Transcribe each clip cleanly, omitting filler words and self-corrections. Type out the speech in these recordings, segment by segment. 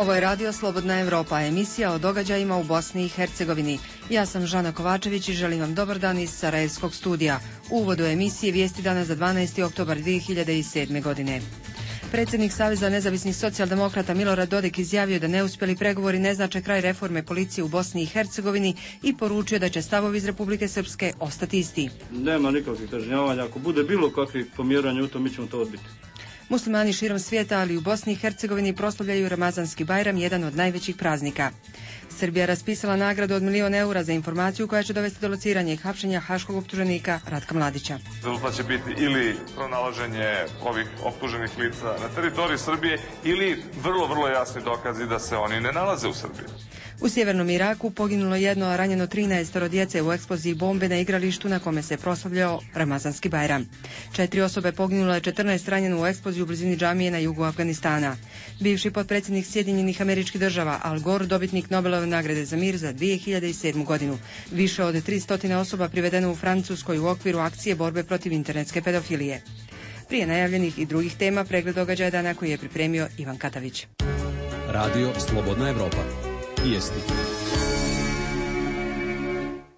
Ovo je Radio Slobodna Evropa, emisija o događajima u Bosni i Hercegovini. Ja sam Žana Kovačević i želim vam dobar dan iz Sarajevskog studija. U uvodu emisije vijesti dana za 12. oktobar 2007. godine. Predsjednik Saveza nezavisnih socijaldemokrata Milorad Dodik izjavio da neuspjeli pregovori ne znače kraj reforme policije u Bosni i Hercegovini i poručio da će stavovi iz Republike Srpske ostati isti. Nema nikakvih kažnjavanja. Ako bude bilo kakvih pomjeranja u to, mi ćemo to odbiti. Muslimani širom svijeta, ali u Bosni i Hercegovini proslavljaju Ramazanski Bajram, jedan od najvećih praznika. Srbija raspisala nagradu od €1.000.000 za informaciju koja će dovesti do lociranja i hapšenja haškog optuženika Ratka Mladića. Rezultat će biti ili pronalaženje ovih optuženih lica na teritoriji Srbije ili vrlo jasni dokazi da se oni ne nalaze u Srbiji. U sjevernom Iraku poginulo jedno, a ranjeno 13 djece u eksploziji bombe na igralištu na kome se proslavljao Ramazanski Bajram. 4 osobe poginulo je, 14 ranjeno u eksploziji u blizini džamije na jugu Afganistana. Bivši potpredsjednik Sjedinjenih Američkih Država Al Gore, dobitnik Nobelove nagrade za mir za 2007. godinu. Više od 300 osoba privedeno u Francuskoj u okviru akcije borbe protiv internetske pedofilije. Prije najavljenih i drugih tema, pregled događaja dana koji je pripremio Ivan Katavić. Radio Slobodna Evropa. Vijesti.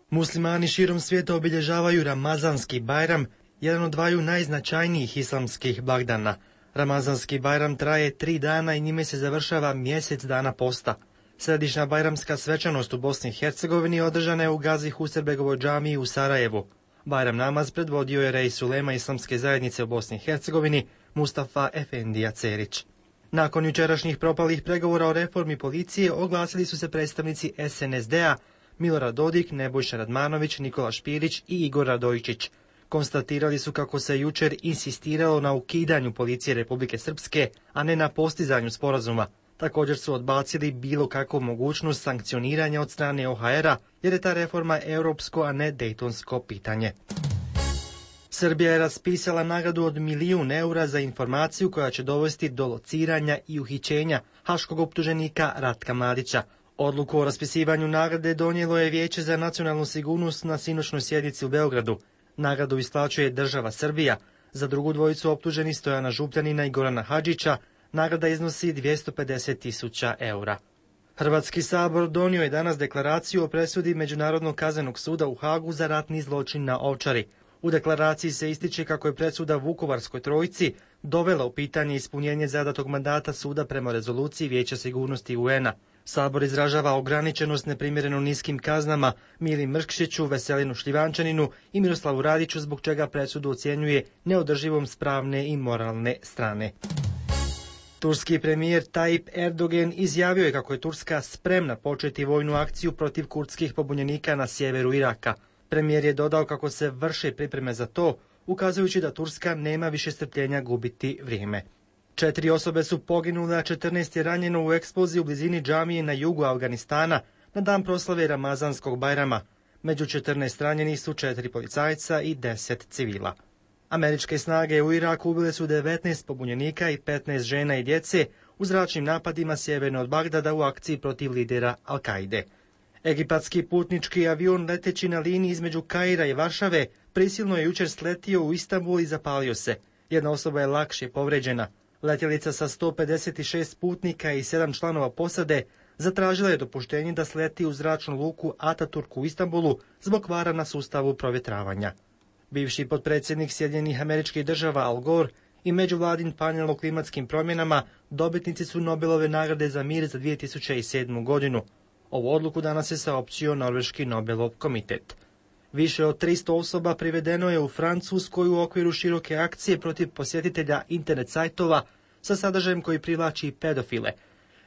Muslimani širom svijeta obilježavaju Ramazanski Bajram, jedan od dvaju najznačajnijih islamskih blagdana. Ramazanski Bajram traje 3 dana i njime se završava mjesec dana posta. Središnja bajramska svečanost u Bosni i Hercegovini održana je u Gazi Huserbegovoj džamiji u Sarajevu. Bajram namaz predvodio je rej Sulema Islamske zajednice u Bosni i Hercegovini Mustafa Efendija Cerić. Nakon jučerašnjih propalih pregovora o reformi policije oglasili su se predstavnici SNSD-a Milorad Dodik, Nebojša Radmanović, Nikola Špirić i Igor Radojičić. Konstatirali su kako se jučer insistiralo na ukidanju policije Republike Srpske, a ne na postizanju sporazuma. Također su odbacili bilo kakvu mogućnost sankcioniranja od strane OHR-a, jer je ta reforma europsko, a ne dejtonsko pitanje. Srbija je raspisala nagradu od €1.000.000 za informaciju koja će dovesti do lociranja i uhićenja haškog optuženika Ratka Mladića. Odluku o raspisivanju nagrade donijelo je Vijeće za nacionalnu sigurnost na sinoćnoj sjednici u Beogradu. Nagradu isplaćuje država Srbija. Za drugu dvojicu optuženih Stojana Župljanina i Gorana Hadžića nagrada iznosi 250.000 eura. Hrvatski sabor donio je danas deklaraciju o presudi Međunarodnog kaznenog suda u Hagu za ratni zločin na Ovčari. U deklaraciji se ističe kako je presuda Vukovarskoj trojici dovela u pitanje ispunjenje zadatog mandata suda prema rezoluciji Vijeća sigurnosti UN-a. Sabor izražava ograničenost neprimjereno niskim kaznama Mili Mrkšiću, Veselinu Šljivančaninu i Miroslavu Radiću, zbog čega presudu ocjenjuje neodrživom s pravne i moralne strane. Turski premijer Tayyip Erdogan izjavio je kako je Turska spremna početi vojnu akciju protiv kurdskih pobunjenika na sjeveru Iraka. Premijer je dodao kako se vrše pripreme za to, ukazujući da Turska nema više strpljenja gubiti vrijeme. 4 osobe su poginule, a 14 je ranjeno u eksploziji u blizini džamije na jugu Afganistana na dan proslave Ramazanskog Bajrama. Među 14 ranjenih su 4 policajca i 10 civila. Američke snage u Iraku ubile su 19 pobunjenika i 15 žena i djece u zračnim napadima sjeverno od Bagdada u akciji protiv lidera Al-Kaide. Egipatski putnički avion leteći na liniji između Kaira i Varšave prisilno je jučer sletio u Istanbul i zapalio se. Jedna osoba je lakše povređena. Letjelica sa 156 putnika i 7 članova posade zatražila je dopuštenje da sleti u zračnu luku Ataturk u Istanbulu zbog kvara na sustavu provjetravanja. Bivši potpredsjednik Sjedinjenih Američkih Država Al Gore i međuvladin panel o klimatskim promjenama dobitnici su Nobelove nagrade za mir za 2007. godinu. Ovu odluku danas je saopćio Norveški Nobelov komitet. Više od 300 osoba privedeno je u Francuskoj u okviru široke akcije protiv posjetitelja internet sajtova sa sadržajem koji privlači pedofile.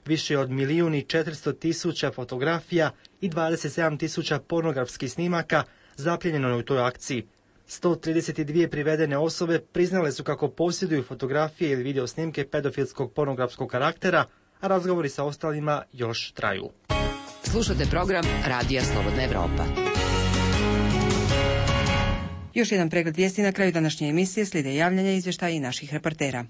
Više od 1.400.000 fotografija i 27.000 pornografskih snimaka zapljenjeno je u toj akciji. 132 privedene osobe priznale su kako posjeduju fotografije ili video snimke pedofilskog pornografskog karaktera, a razgovori sa ostalima još traju. Slušate program Radija Slobodna Evropa. Još jedan pregled vijesti na kraju današnje emisije, slijede javljanja, izvještaja i naših reportera.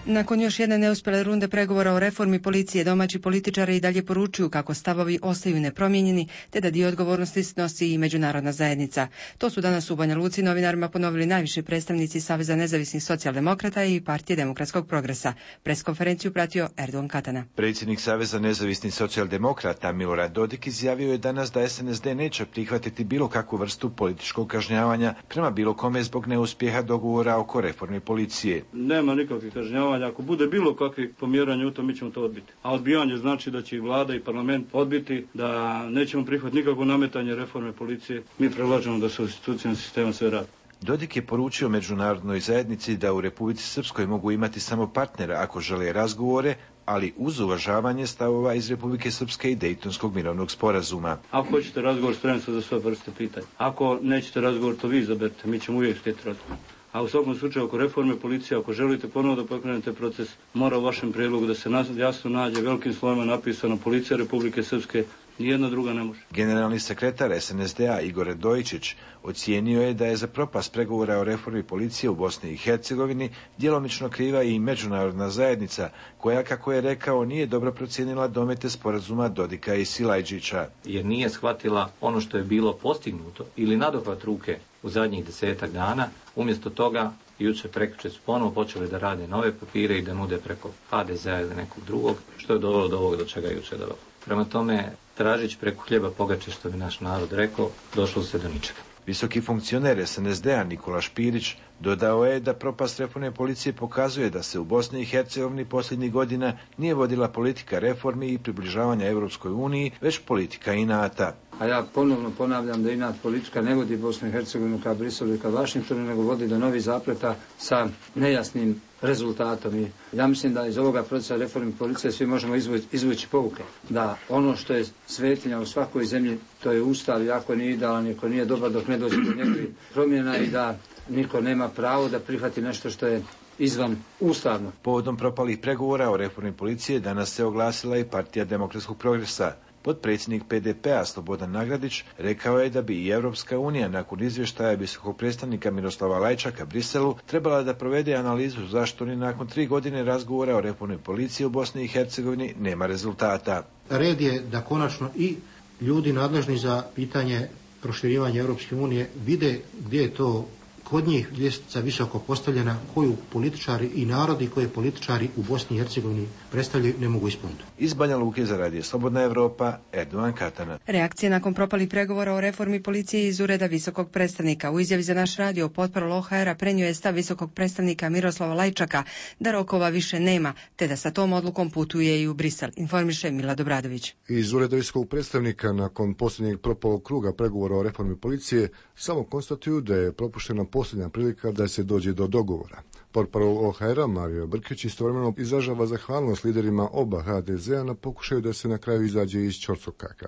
Nakon još jedne neuspjele runde pregovora o reformi policije, domaći političari i dalje poručuju kako stavovi ostaju nepromijenjeni, te da dio odgovornosti snosi i međunarodna zajednica. To su danas u Banja Luci novinarima ponovili najviši predstavnici Saveza nezavisnih socijaldemokrata i Partije demokratskog progresa. Preskonferenciju pratio Erdogan Katana. Predsjednik Saveza nezavisnih socijaldemokrata Milorad Dodik izjavio je danas da SNSD neće prihvatiti bilo kakvu vrstu političkog kažnjavanja prema bilo kome zbog neuspjeha dogovora oko reforme policije. Nema nikakvih kažnjavanja. Ako bude bilo kakvih pomjeranja u to, mi ćemo to odbiti. A odbijanje znači da će i vlada i parlament odbiti, da nećemo prihvatiti nikakvo nametanje reforme policije. Mi predlažemo da se u institucijnom sistemu sve radi. Dodik je poručio međunarodnoj zajednici da u Republici Srpskoj mogu imati samo partnera ako žele razgovore, ali uz uvažavanje stavova iz Republike Srpske i Dejtonskog mirovnog sporazuma. Ako hoćete razgovor, spremni smo za sve vrste pitanja. Ako nećete razgovor, to vi izaberete, mi ćemo uvijek htjeti razgovor. A u svakom slučaju, oko reforme policije, ako želite ponovo da pokrenete proces, mora u vašem prijedlogu da se jasno nađe velikim slovima napisano Policija Republike Srpske, nijedna druga ne može. Generalni sekretar SNSD-a Igor Radojičić ocijenio je da je za propast pregovora o reformi policije u Bosni i Hercegovini djelomično kriva i međunarodna zajednica, koja, kako je rekao, nije dobro procijenila domete sporazuma Dodika i Silajđića. Jer nije shvatila ono što je bilo postignuto ili nadohvat ruke u zadnjih 10 dana, umjesto toga jučer prekjučer su ponovo počeli da rade nove papire i da nude preko HDZ-a ili nekog drugog, što je dovelo do ovog do čega je jučer dovelo. Prema tome, tražić preko hljeba pogače, što bi naš narod rekao, došlo se do ničega. Visoki funkcioner SNSD-a Nikola Špirić dodao je da propast reforme policije pokazuje da se u Bosni i Hercegovini posljednjih godina nije vodila politika reformi i približavanja Europskoj uniji, već politika inata. A ja ponovno ponavljam da inat politika ne vodi Bosnu i Hercegovinu ka Briselu i ka Vašingtonu, nego vodi do novih zapleta sa nejasnim rezultatom. I ja mislim da iz ovoga procesa reforme policije svi možemo izvući pouke. Da ono što je svetinja u svakoj zemlji, to je Ustav, i ako nije idealan, ako nije dobar dok ne dođe do njegovih promjena, i da niko nema pravo da prihvati nešto što je izvan ustavno. Povodom propalih pregovora o reformi policije danas se oglasila i Partija demokratskog progresa. Potpredsjednik PDP-a Slobodan Nagradić rekao je da bi i Europska unija nakon izvještaja visokog predstavnika Miroslava Lajčaka Briselu trebala da provede analizu zašto ni nakon 3 godine razgovora o reformi policije u Bosni i Hercegovini nema rezultata. Red je da konačno i ljudi nadležni za pitanje proširivanja Europske unije vide gdje je to kod njih ljestvica visoko postavljena, koju političari i narodi koje političari u Bosni i Hercegovini predstavljaju ne mogu ispuniti. Iz Banja Luke za Radio Slobodna Evropa, Erdogan Katana. Reakcije nakon propalih pregovora o reformi policije iz ureda visokog predstavnika. U izjavi za naš radio potporol OHR-a prenio je stav visokog predstavnika Miroslava Lajčaka da rokova više nema, te da sa tom odlukom putuje i u Brisel, informiše Mila Dobradović. Iz ureda visokog predstavnika nakon posljednjeg propalog kruga pregovora o reformi policije samo konstatuju da je propuštena posljednja prilika da se dođe do dogovora. Portparol OHR-a Mario Brkić istovremeno izražava zahvalnost liderima oba HDZ-a na pokušaju da se na kraju izađe iz ćorsokaka.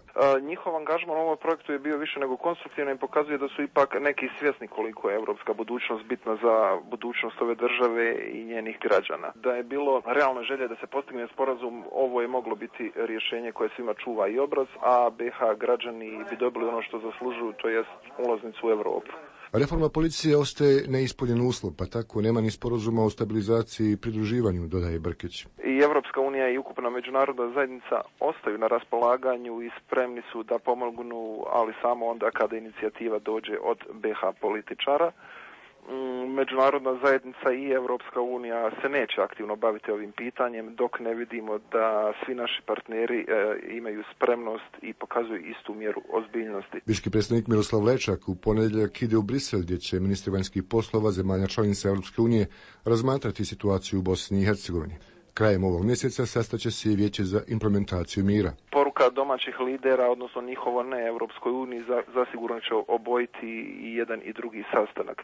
Njihov angažman u ovom projektu je bio više nego konstruktivan i pokazuje da su ipak neki svjesni koliko je evropska budućnost bitna za budućnost ove države i njenih građana. Da je bilo realne želje da se postigne sporazum, ovo je moglo biti rješenje koje svima čuva i obraz, a BiH građani bi dobili ono što zaslužuju, to jest ulaznicu u Europu. Reforma policije ostaje neispunjen uslov, pa tako nema ni sporazuma o stabilizaciji i pridruživanju, dodaje Brkić. I Evropska unija i ukupna međunarodna zajednica ostaju na raspolaganju i spremni su da pomognu, ali samo onda kada inicijativa dođe od BiH političara. Međunarodna zajednica i Evropska unija se neće aktivno baviti ovim pitanjem dok ne vidimo da svi naši partneri imaju spremnost i pokazuju istu mjeru ozbiljnosti. Visoki predstavnik Miroslav Lajčak u ponedjeljak ide u Brisel, gdje će ministri vanjskih poslova zemalja članica Europske unije razmatrati situaciju u Bosni i Hercegovini. Krajem ovog mjeseca sastaće se i vijeće za implementaciju mira. Poruka domaćih lidera, odnosno njihovo ne Europskoj uniji, zasigurno će obojiti i jedan i drugi sastanak.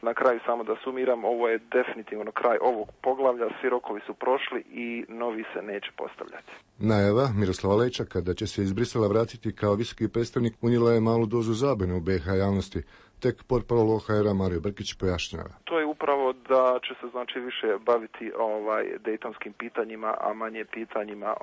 Na kraju samo da sumiram, ovo je definitivno kraj ovog poglavlja, svi rokovi su prošli i novi se neće postavljati. Najava Miroslava Lajčaka da će se iz Brisela vratiti kao visoki predstavnik unijela je malu dozu zabune u BiH javnosti. Tek portparol OHR-a Mario Brkić pojašnjava. To je upravo da će se znači više baviti dejtonskim pitanjima, a manje pitanjima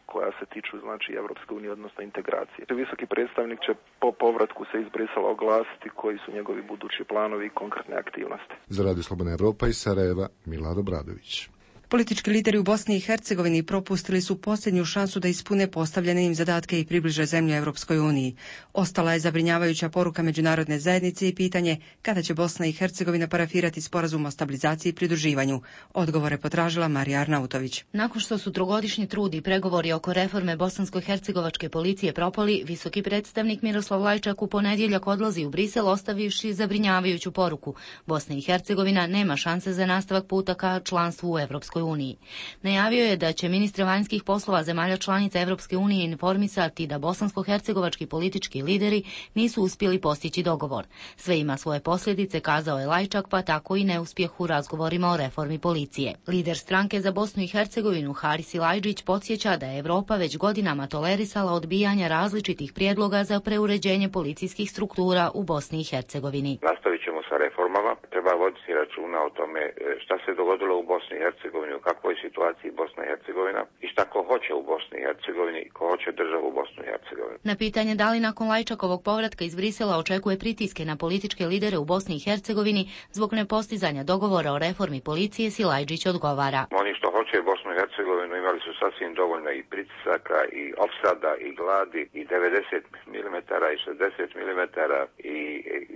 koja se tiču znači Evropske unije, odnosno integracije. Visoki predstavnik će po povratku se iz Brisela oglasiti koji su njegovi budući planovi i konkretne aktivnosti. Za Radio Slobodna Evropa iz Sarajeva, Mila Dobradović. Politički lideri u Bosni i Hercegovini propustili su posljednju šansu da ispune postavljene im zadatke i približe zemlju Europskoj uniji. Ostala je zabrinjavajuća poruka međunarodne zajednice i pitanje kada će Bosna i Hercegovina parafirati sporazum o stabilizaciji i pridruživanju. Odgovore potražila Marija Arnautović. Nakon što su trogodišnji trud i pregovori oko reforme bosansko-hercegovačke policije propali, visoki predstavnik Miroslav Lajčak u ponedjeljak odlazi u Brisel ostavivši zabrinjavajuću poruku. Bosna i Hercegovina nema šanse za nastavak puta ka članstvu u Europskoj uniji. Najavio je da će ministri vanjskih poslova zemalja članica Europske unije informisati da bosansko-hercegovački politički lideri nisu uspjeli postići dogovor. Sve ima svoje posljedice, kazao je Lajčak, pa tako i neuspjeh u razgovorima o reformi policije. Lider stranke za Bosnu i Hercegovinu Haris Ilajđić podsjeća da je Europa već godinama tolerisala odbijanja različitih prijedloga za preuređenje policijskih struktura u Bosni i Hercegovini. Nastavit ćemo sa reformama. Treba voditi računa o tome šta se dogodilo u Bosni i Hercegovini, u kakvoj situaciji Bosna i Hercegovina i šta ko hoće u Bosni i Hercegovini i ko hoće državu u Bosnu i Hercegovini. Na pitanje da li nakon Lajčakovog povratka iz Brisela očekuje pritiske na političke lidere u Bosni i Hercegovini zbog nepostizanja dogovora o reformi policije, Silajđić odgovara. Oni što hoće Bosnu i Hercegovinu imali su sasvim dovoljno i pritisaka i opsada i gladi i 90 mm i 60 mm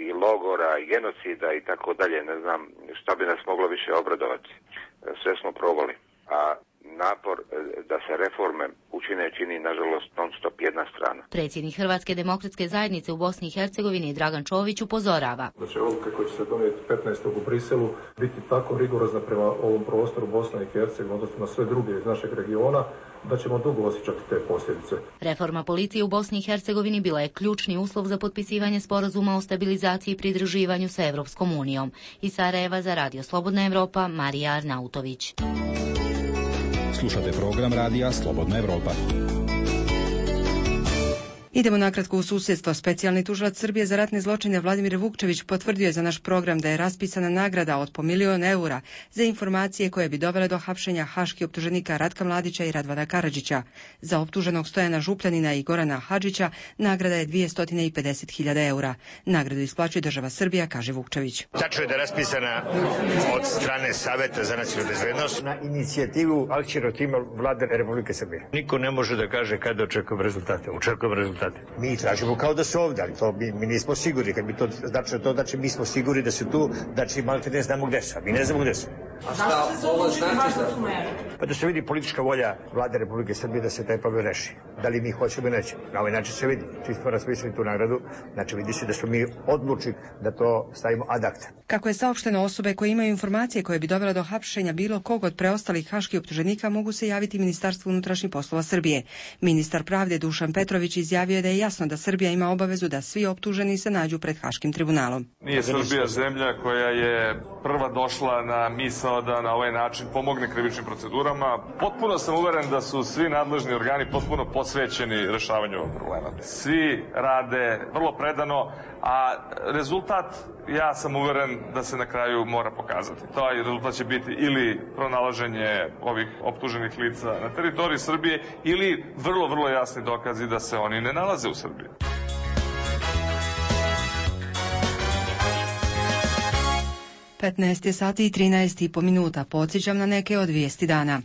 i logora i genocida i tako dalje. Ne znam šta bi nas moglo više obradovati. Sve smo probali. A napor da se reforme učine čini, nažalost, non stop jedna strana. Predsjednik Hrvatske demokratske zajednice u Bosni i Hercegovini Dragan Čović upozorava. Da će odluka koja će se donijeti 15. u Briselu biti tako rigorozna prema ovom prostoru Bosne i Hercegovine, odnosno na sve druge iz našeg regiona, da ćemo dugo osjećati te posljedice. Reforma policije u Bosni i Hercegovini bila je ključni uslov za potpisivanje sporazuma o stabilizaciji i pridruživanju sa Europskom unijom. Iz Sarajeva za Radio Slobodna Evropa, Marija Arnautović. Slušate program Radija Slobodna Evropa. Idemo nakratko u susjedstvo. Specijalni tužilac Srbije za ratne zločine Vladimir Vukčević potvrdio je za naš program da je raspisana nagrada od po €1.000.000 za informacije koje bi dovele do hapšenja haških optuženika Ratka Mladića i Radvana Karadžića. Za optuženog Stojana Župljanina i Gorana Hadžića nagrada je €250.000. Nagradu isplaćuje država Srbija, kaže Vukčević. Tačno je da je raspisana od strane Saveta za nacionalnu bezbednost na inicijativu akcionog tima Vlade Republike Srbije. Niko ne može da kaže kada očekujemo rezultate. Očekujemo rezultate. Mi tražimo kao da su ovdje, ali to mi nismo sigurni. Kad bi to znači mi smo sigurni da su tu, znači malo te ne znamo gde su, a mi ne znamo gde su. A šta ovo znači za... Pa da se vidi politička volja Vlade Republike Srbije da se taj problem reši. Da li mi hoćemo ili nećemo. Na ovaj način se vidi. Čisto raspisali tu nagradu, znači vidi se da smo mi odlučili da to stavimo ad acta. Kako je saopšteno, osobe koje imaju informacije koje bi dovele do hapšenja bilo kog od preostalih haških optuženika mogu se javiti Ministarstvu unutrašnjih poslova Srbije. Ministar pravde Dušan Petrović izjavio je da je jasno da Srbija ima obavezu da svi optuženi se nađu pred Haškim tribunalom. Nije Srbija zemlja koja je prva došla na misao da na ovaj način pomogne krivičnim procedurama. Potpuno sam uveren da su svi nadležni organi potpuno posvećeni rešavanju ovog problema. Svi rade vrlo predano, a rezultat, ja sam uveren da se na kraju mora pokazati. Taj rezultat će biti ili pronalaženje ovih optuženih lica na teritoriji Srbije ili vrlo jasni dokazi da se oni ne nalaze u Srbiji. je 13:13. Podsjećam na neke od vijesti dana.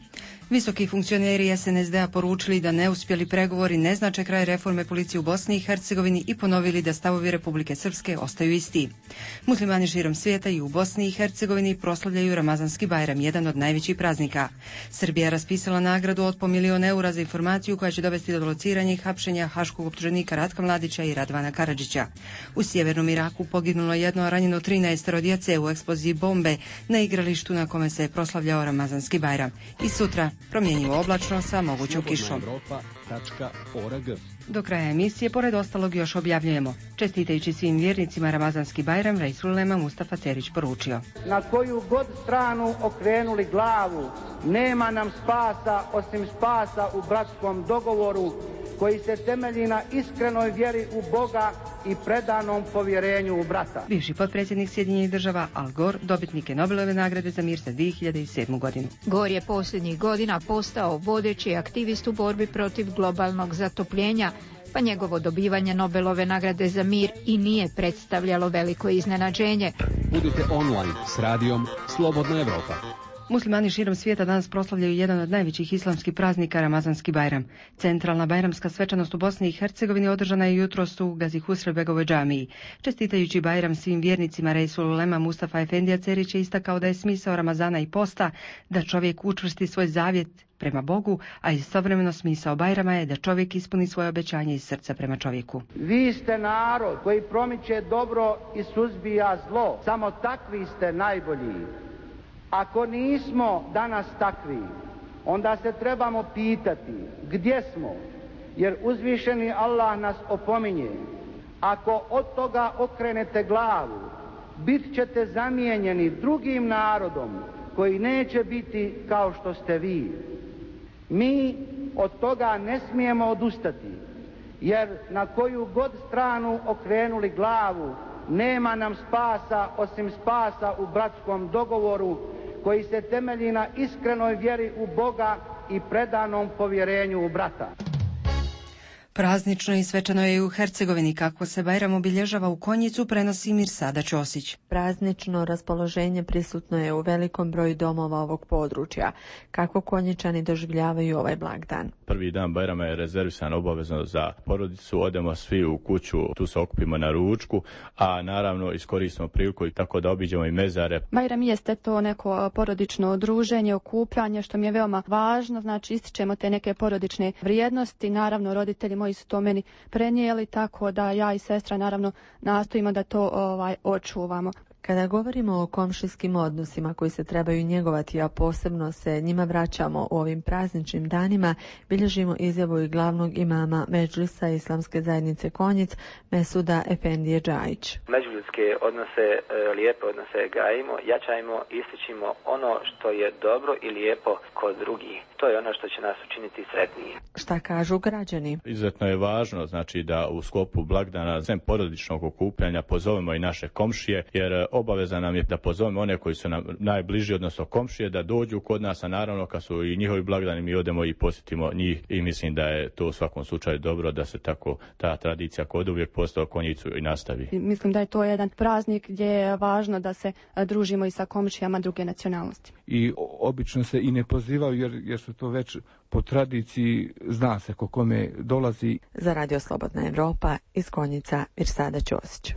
Visoki funkcioneri SNSD-a poručili da neuspjeli pregovori ne znače kraj reforme policije u Bosni i Hercegovini i ponovili da stavovi Republike Srpske ostaju isti. Muslimani širom svijeta i u Bosni i Hercegovini proslavljaju Ramazanski Bajram, jedan od najvećih praznika. Srbija je raspisala nagradu od po €1.000.000 za informaciju koja će dovesti do lociranja i hapšenja haškog optuženika Ratka Mladića i Radvana Karadžića. U sjevernom Iraku poginulo jedno, a ranjeno 13 djece u eksploziji bombe na igralištu na kome se je proslavljao Ramazanski Bajram. I sutra promjenjivo oblačno sa mogućom kišom. Do kraja emisije, pored ostalog, još objavljujemo. Čestitajući svim vjernicima Ramazanski Bajram, Reisul Ulema Mustafa Cerić poručio: na koju god stranu okrenuli glavu, nema nam spasa osim spasa u bratskom dogovoru, koji se temelji na iskrenoj vjeri u Boga i predanom povjerenju u brata. Bivši potpredsjednik Sjedinjenih Država Al Gore dobitnik je Nobelove nagrade za mir za 2007. godinu. Gore je posljednjih godina postao vodeći aktivist u borbi protiv globalnog zatopljenja, pa njegovo dobivanje Nobelove nagrade za mir i nije predstavljalo veliko iznenađenje. Budite online s radijom Slobodna Evropa. Muslimani širom svijeta danas proslavljaju jedan od najvećih islamskih praznika, Ramazanski Bajram. Centralna bajramska svečanost u Bosni i Hercegovini održana je jutros u Gazi Husrev-begovoj džamiji. Čestitajući Bajram svim vjernicima, Reisul Ulema Mustafa Efendija Cerić je istakao da je smisao Ramazana i posta da čovjek učvrsti svoj zavjet prema Bogu, a istovremeno smisao Bajrama je da čovjek ispuni svoje obećanje iz srca prema čovjeku. Vi ste narod koji promiče dobro i suzbija zlo. Samo takvi ste najbolji. Ako nismo danas takvi, onda se trebamo pitati gdje smo, jer uzvišeni Allah nas opominje. Ako od toga okrenete glavu, bit ćete zamijenjeni drugim narodom koji neće biti kao što ste vi. Mi od toga ne smijemo odustati, jer na koju god stranu okrenuli glavu, nema nam spasa osim spasa u bratskom dogovoru koji se temelji na iskrenoj vjeri u Boga i predanom povjerenju u brata. Praznično i svečano je i u Hercegovini. Kako se Bajram obilježava u Konjicu, prenosi Mirsada Ćosić. Praznično raspoloženje prisutno je u velikom broju domova ovog područja. Kako Konjičani doživljavaju ovaj blagdan? Prvi dan Bajrama je rezervisan obavezno za porodicu, odemo svi u kuću, tu se okupimo na ručku, a naravno iskoristimo priliku i tako da obiđemo i mezare. Bajram jeste to neko porodično druženje, okupljanje, što mi je veoma važno, znači ističemo te neke porodične vrijednosti, naravno roditelji moji su to meni prenijeli, tako da ja i sestra naravno nastojimo da to očuvamo. Kada govorimo o komšijskim odnosima koji se trebaju njegovati, a posebno se njima vraćamo u ovim prazničnim danima, bilježimo izjavu i glavnog imama Medžlisa Islamske zajednice Konjic, Mesuda Efendije Džajić. Međuljudske odnose, lijepe odnose gajimo, jačajmo, ističimo ono što je dobro i lijepo kod drugih. To je ono što će nas učiniti sretniji. Šta kažu građani? Izuzetno je važno, znači, da u sklopu blagdana, sem porodičnog okupljanja, pozovemo i naše komšije, jer obaveza nam je da pozovemo one koji su nam najbliži, odnosno komšije, da dođu kod nas, a naravno kad su i njihovi blagdani mi odemo i posjetimo njih i mislim da je to u svakom slučaju dobro da se tako ta tradicija kod uvijek postao Konjicu i nastavi. Mislim da je to jedan praznik gdje je važno da se družimo i sa komšijama druge nacionalnosti. I obično se i ne pozivaju jer su to već po tradiciji, zna se ko kome dolazi. Za Radio Slobodna Evropa iz Konjica, Mirsada Ćosić.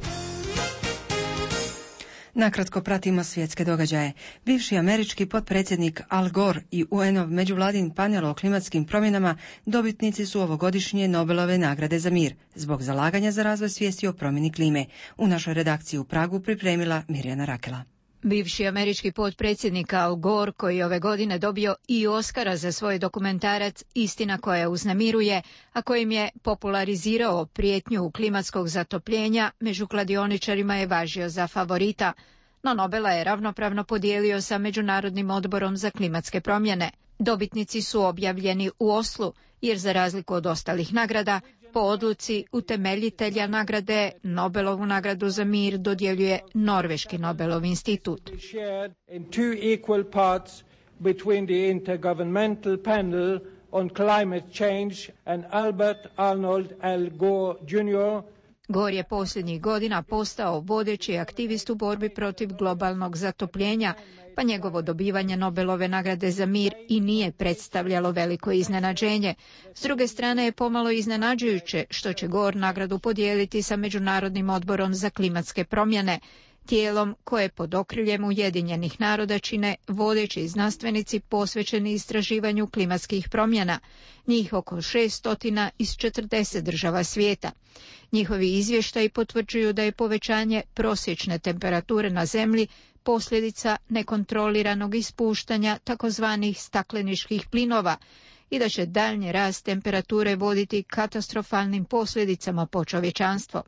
Nakratko pratimo svjetske događaje. Bivši američki potpredsjednik Al Gore i UN-ov međuvladin panel o klimatskim promjenama dobitnici su ovogodišnje Nobelove nagrade za mir zbog zalaganja za razvoj svijesti o promjeni klime. U našoj redakciji u Pragu pripremila Mirjana Rakela. Bivši američki potpredsjednik Al Gore, koji ove godine dobio i Oskara za svoj dokumentarac Istina koja uznemiruje, a kojim je popularizirao prijetnju klimatskog zatopljenja, među kladioničarima je važio za favorita. No Nobela je ravnopravno podijelio sa Međunarodnim odborom za klimatske promjene. Dobitnici su objavljeni u Oslu, jer za razliku od ostalih nagrada, po odluci utemeljitelja nagrade, Nobelovu nagradu za mir dodjeljuje Norveški Nobelov institut. Gore je posljednjih godina postao vodeći aktivist u borbi protiv globalnog zatopljenja, pa njegovo dobivanje Nobelove nagrade za mir i nije predstavljalo veliko iznenađenje. S druge strane je pomalo iznenađujuće što će Gore nagradu podijeliti sa Međunarodnim odborom za klimatske promjene, tijelom koje pod okriljem Ujedinjenih naroda čine vodeći znanstvenici posvećeni istraživanju klimatskih promjena, njih oko 600 iz 40 država svijeta. Njihovi izvještaji potvrđuju da je povećanje prosječne temperature na Zemlji posljedica nekontroliranog ispuštanja takozvanih stakleničkih plinova i da će daljnji rast temperature voditi katastrofalnim posljedicama po čovječanstvo.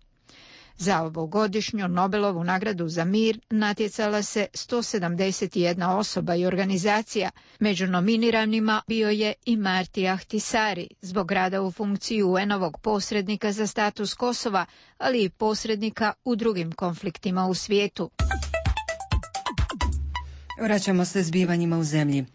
Za ovogodišnju Nobelovu nagradu za mir natjecala se 171 osoba i organizacija. Među nominiranima bio je i Marti Ahtisaari zbog rada u funkciji UN-ovog posrednika za status Kosova, ali i posrednika u drugim konfliktima u svijetu. Vraćamo se zbivanjima u zemlji.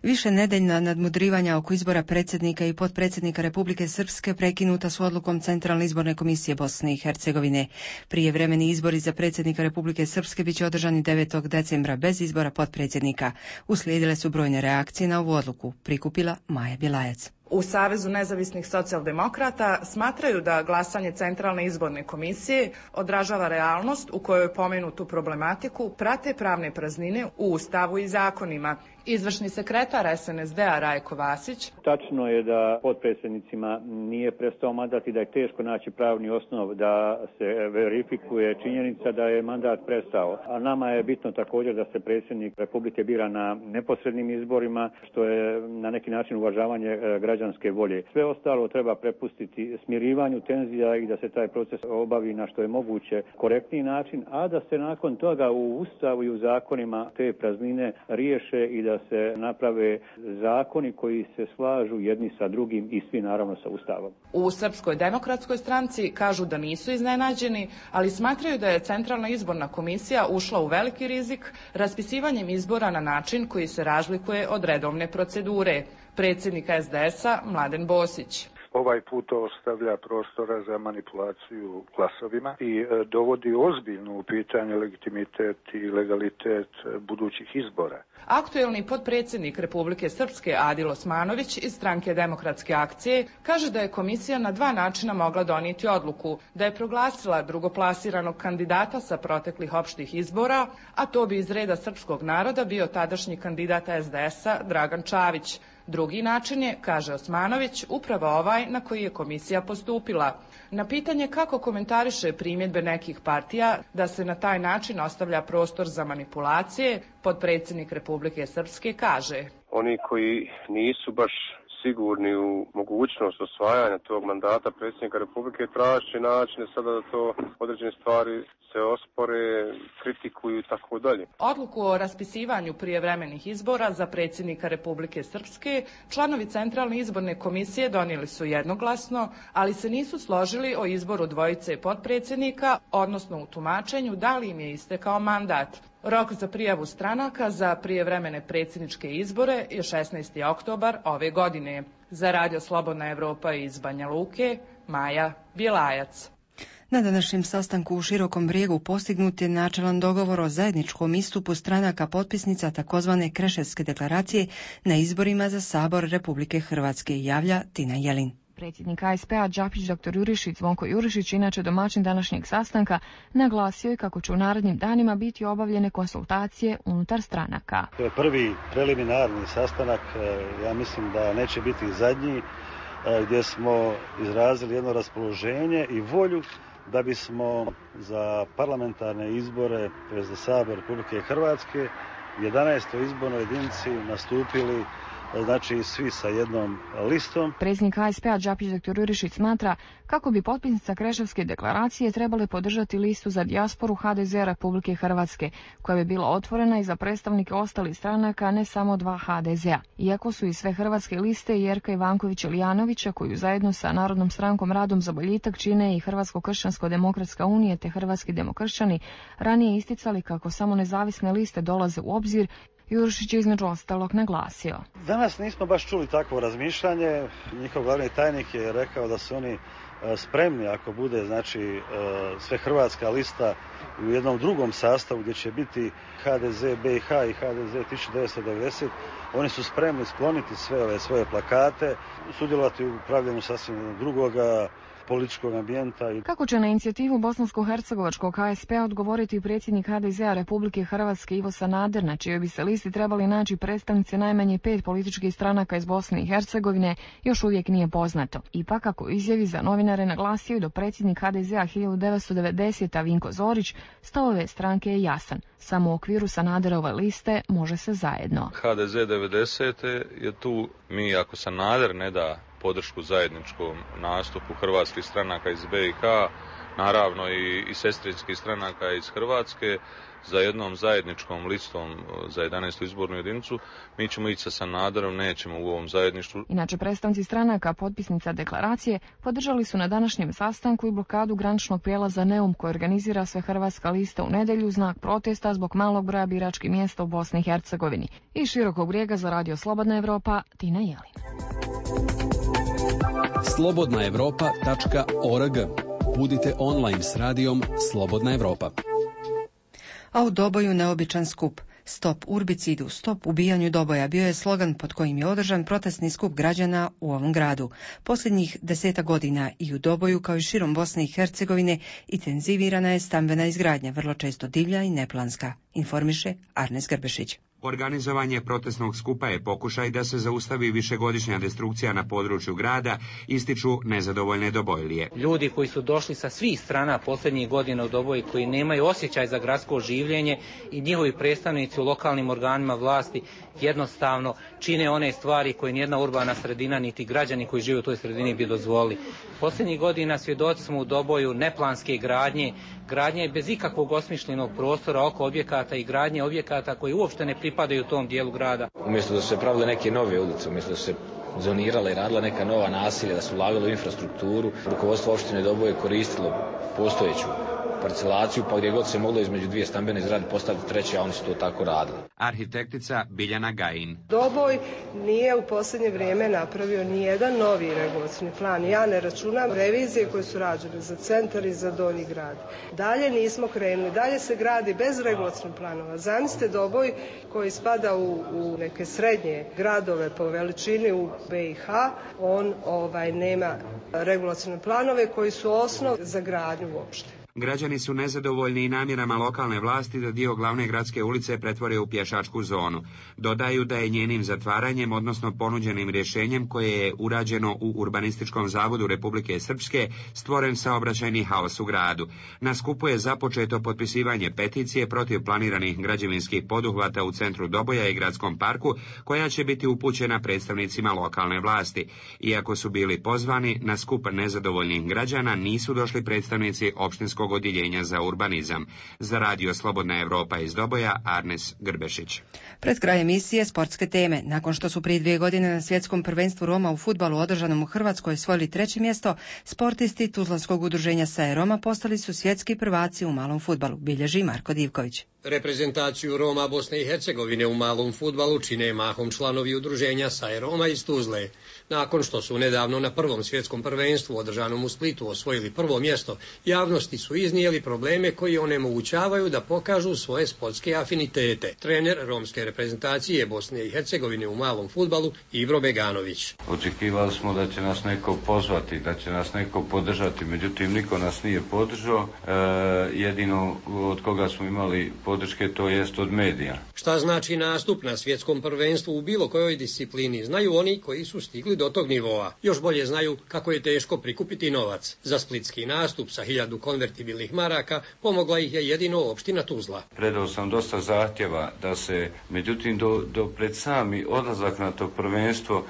Više nedeljna nadmudrivanja oko izbora predsjednika i potpredsjednika Republike Srpske prekinuta su odlukom Centralne izborne komisije Bosne i Hercegovine. Prijevremeni izbori za predsjednika Republike Srpske biće održani 9. decembra bez izbora potpredsjednika. Uslijedile su brojne reakcije na ovu odluku, prikupila Maja Bjelajac. U Savezu nezavisnih socijaldemokrata smatraju da glasanje Centralne izborne komisije odražava realnost u kojoj pomenutu problematiku prate pravne praznine u Ustavu i zakonima. Izvršni sekretar SNSD-a Rajko Vasić. Tačno je da potpredsjednicima nije prestao mandat i da je teško naći pravni osnov da se verifikuje činjenica da je mandat prestao. A nama je bitno također da se predsjednik Republike bira na neposrednim izborima, što je na neki način uvažavanje građanske volje. Sve ostalo treba prepustiti smirivanju tenzija i da se taj proces obavi na što je moguće korektniji način, a da se nakon toga u Ustavu i u zakonima te praznine riješe i da se naprave zakoni koji se slažu jedni sa drugim i svi naravno sa Ustavom. U Srpskoj demokratskoj stranci kažu da nisu iznenađeni, ali smatraju da je Centralna izborna komisija ušla u veliki rizik raspisivanjem izbora na način koji se razlikuje od redovne procedure. Predsjednik SDS-a Mladen Bosić. Ovaj put ostavlja prostora za manipulaciju glasovima i dovodi ozbiljno u pitanje legitimitet i legalitet budućih izbora. Aktuelni potpredsjednik Republike Srpske Adil Osmanović iz Stranke Demokratske akcije kaže da je komisija na dva načina mogla donijeti odluku, da je proglasila drugoplasiranog kandidata sa proteklih opštih izbora, a to bi iz reda srpskog naroda bio tadašnji kandidat SDS-a Dragan Čavić. Drugi način je, kaže Osmanović, upravo ovaj na koji je komisija postupila. Na pitanje kako komentariše primjedbe nekih partija da se na taj način ostavlja prostor za manipulacije, potpredsjednik Republike Srpske kaže: Oni koji nisu baš sigurni u mogućnost osvajanja tog mandata predsjednika Republike traži načine sada da to određene stvari se ospore, kritikuju i tako dalje. Odluku o raspisivanju prijevremenih izbora za predsjednika Republike Srpske članovi Centralne izborne komisije donijeli su jednoglasno, ali se nisu složili o izboru dvojice potpredsjednika, odnosno u tumačenju da li im je istekao mandat. Rok za prijavu stranaka za prijevremene predsjedničke izbore je 16. oktobar ove godine. Za Radio Slobodna Evropa iz Banja Luke, Maja Bjelajac. Na današnjem sastanku u Širokom Brijegu postignut je načelan dogovor o zajedničkom istupu stranaka potpisnica takozvane Kreševske deklaracije na izborima za Sabor Republike Hrvatske, javlja Tina Jelin. Predsjednik ASP-a Đapić dr. Jurišić, Zvonko Jurišić, inače domaćin današnjeg sastanka, naglasio je kako će u narednim danima biti obavljene konsultacije unutar stranaka. To je prvi preliminarni sastanak, ja mislim da neće biti zadnji, gdje smo izrazili jedno raspoloženje i volju da bismo za parlamentarne izbore, tj. za Sabor Republike Hrvatske, 11. izbornoj jedinici nastupili znači svi sa jednom listom. Predsjednik ASP-a Đapić dr. Jurišić smatra kako bi potpisnica Kreševske deklaracije trebale podržati listu za dijasporu HDZ Republike Hrvatske, koja bi bila otvorena i za predstavnike ostalih stranaka, ne samo dva HDZ-a. Iako su i sve hrvatske liste Jerka Ivankovića-Lijanovića, koju zajedno sa Narodnom strankom Radom za boljitak čine i Hrvatsko-kršćansko-demokratska unija te Hrvatski demokršćani, ranije isticali kako samo nezavisne liste dolaze u obzir, Jurišić je između ostalog naglasio. Danas nismo baš čuli takvo razmišljanje. Njihov glavni tajnik je rekao da su oni spremni ako bude znači sve hrvatska lista u jednom drugom sastavu gdje će biti HDZ BiH i HDZ 1990. Oni su spremni skloniti sve ove svoje plakate, sudjelovati u pravljenju sasvim drugoga političkog ambijenta. Kako će na inicijativu bosansko-hercegovačkog ASP-a odgovoriti predsjednik HDZ-a Republike Hrvatske Ivo Sanader, na čijoj bi se listi trebali naći predstavnici najmanje 5 političkih stranaka iz Bosne i Hercegovine, još uvijek nije poznato. Ipak, kako izjavi za novinare naglasio i do predsjednik HDZ-a 1990. Vinko Zorić, stav ove stranke je jasan. Samo u okviru Sanaderove liste može se zajedno. HDZ 90. je tu, mi ako Sanader ne da podršku zajedničkom nastupu hrvatskih stranaka iz BiH naravno i sestrinskih stranaka iz Hrvatske, za jednom zajedničkom listom za 11. izbornu jedinicu. Mi ćemo ići sa Sanaderom, nećemo u ovom zajedništvu. Inače, predstavnici stranaka potpisnica deklaracije podržali su na današnjem sastanku i blokadu graničnog prijelaza Neum koji organizira Svehrvatska lista u nedjelju u znak protesta zbog malog broja biračkih mjesta u Bosni i Hercegovini. Iz Širokog Brijega za Radio Slobodna Evropa, Tina Jelin. slobodnaevropa.org. Budite online s radijom Slobodna Evropa. A u Doboju neobičan skup. Stop urbicidu, stop ubijanju Doboja bio je slogan pod kojim je održan protestni skup građana u ovom gradu. Posljednjih 10 godina i u Doboju kao i širom Bosne i Hercegovine intenzivirana je stambena izgradnja, vrlo često divlja i neplanska, informiše Arnes Grbešić. Organizovanje protestnog skupa je pokušaj da se zaustavi višegodišnja destrukcija na području grada, ističu nezadovoljne Dobojlije. Ljudi koji su došli sa svih strana posljednjih godina u Doboji, koji nemaju osjećaj za gradsko življenje i njihovi predstavnici u lokalnim organima vlasti jednostavno čine one stvari koje nijedna urbana sredina niti građani koji žive u toj sredini bi dozvolili. Posljednjih godina svjedoci smo u Doboju neplanske gradnje bez ikakvog osmišljenog prostora oko objekata i gradnje objekata koji uopšte ne pripadaju tom dijelu grada. Umjesto da su se pravile neke nove ulice, umjesto da su se zonirala i radila neka nova naselja, da su ulagalo u infrastrukturu, rukovodstvo opštine Doboje koristilo postojeću parcelaciju, pa gdje god se moglo između dvije stambene zgrade postaviti treće, a oni su to tako radili. Arhitektica Biljana Gajin. Doboj nije u posljednje vrijeme napravio nijedan novi regulacioni plan. Ja ne računam revizije koje su rađene za centar i za Donji grad. Dalje nismo krenuli, dalje se gradi bez regulacionih planova. Zamislite Doboj koji spada u neke srednje gradove po veličini u BiH, on nema regulacione planove koji su osnov za gradnju uopšte. Građani su nezadovoljni i namjerama lokalne vlasti da dio glavne gradske ulice pretvore u pješačku zonu. Dodaju da je njenim zatvaranjem, odnosno ponuđenim rješenjem koje je urađeno u Urbanističkom zavodu Republike Srpske, stvoren saobraćajni haos u gradu. Na skupu je započeto potpisivanje peticije protiv planiranih građevinskih poduhvata u centru Doboja i gradskom parku, koja će biti upućena predstavnicima lokalne vlasti. Iako su bili pozvani, na skup nezadovoljnih građana nisu došli predstavnici opštinskog odjeljenja za urbanizam. Za Radio Slobodna Evropa iz Doboja, Arnes Grbešić. Pred kraj emisije sportske teme. Nakon što su prije 2 godine na svjetskom prvenstvu Roma u fudbalu održanom u Hrvatskoj osvojili 3. mjesto, sportisti Tuzlanskog udruženja SAE Roma postali su svjetski prvaci u malom fudbalu, bilježi Marko Divković. Reprezentaciju Roma Bosne i Hercegovine u malom fudbalu čine mahom članovi udruženja SAE Roma iz Tuzle. Nakon što su nedavno na prvom svjetskom prvenstvu održanom u Splitu osvojili 1. mjesto, javnosti su iznijeli probleme koji onemogućavaju da pokažu svoje sportske afinitete. Trener romske reprezentacije Bosne i Hercegovine u malom fudbalu Ivro Beganović. Očekivali smo da će nas neko pozvati, da će nas neko podržati, međutim niko nas nije podržao. Jedino od koga smo imali podrške to jest od medija. Šta znači nastup na svjetskom prvenstvu u bilo kojoj disciplini, znaju oni koji su stigli do tog nivoa. Još bolje znaju kako je teško prikupiti novac. Za splitski nastup sa 1000 konvertibilnih maraka pomogla ih je jedino opština Tuzla. Predao sam dosta zahtjeva da se, međutim do pred sami odlazak na to prvenstvo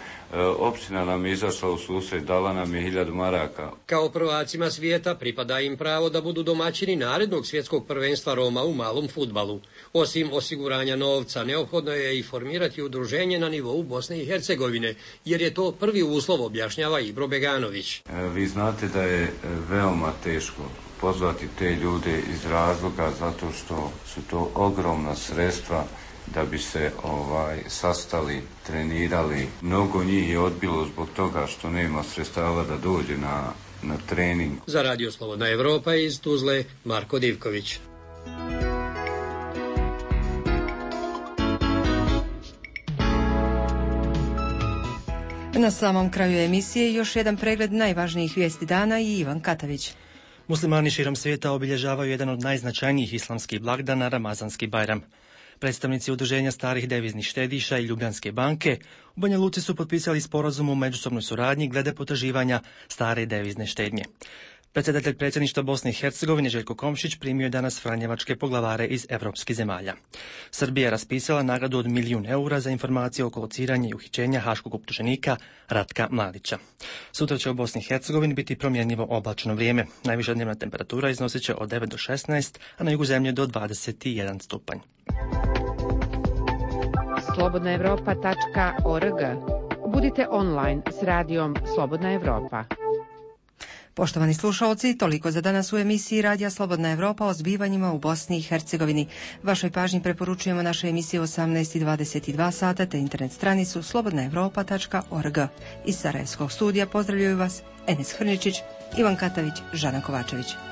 opština nam je izašla u susret, dala nam je 1000 maraka. Kao prvacima svijeta pripada im pravo da budu domaćini narednog svjetskog prvenstva Roma u malom fudbalu. Osim osiguranja novca, neophodno je i formirati udruženje na nivou Bosne i Hercegovine, jer je to prvi uslov, objašnjava Ibro Beganović. Vi znate da je veoma teško pozvati te ljude iz razloga zato što su to ogromna sredstva da bi se sastali, trenirali. Mnogo njih je odbilo zbog toga što nema sredstava da dođe na trening. Za Radio Slobodna Evropa iz Tuzle, Marko Divković. Na samom kraju emisije još jedan pregled najvažnijih vijesti dana i Ivan Katavić. Muslimani širom svijeta obilježavaju jedan od najznačajnijih islamskih blagdana, Ramazanski Bajram. Predstavnici udruženja starih deviznih štediša i Ljubljanske banke u Banja Luci su potpisali sporazum o međusobnoj suradnji glede potraživanja stare devizne štednje. Predsjedatelj predsjedništva Bosne i Hercegovine Željko Komšić primio je danas franjevačke poglavare iz evropskih zemalja. Srbija je raspisala nagradu od 1 milijun eura za informacije oko lociranja i uhićenja haškog optuženika Ratka Mladića. Sutra će u Bosni i Hercegovini biti promjenjivo oblačno vrijeme. Najviša dnevna temperatura iznosit će od 9 do 16, a na jugu zemlje do 21 stupanj. slobodnaevropa.org. Budite online s radijom Slobodna Evropa. Poštovani slušalci, toliko za danas u emisiji Radija Slobodna Evropa o zbivanjima u Bosni i Hercegovini. Vašoj pažnji preporučujemo naše emisije 18:22 sata te internet stranicu slobodnaevropa.org. Iz Sarajevskog studija pozdravljaju vas Enes Hrničić, Ivan Katavić, Žana Kovačević.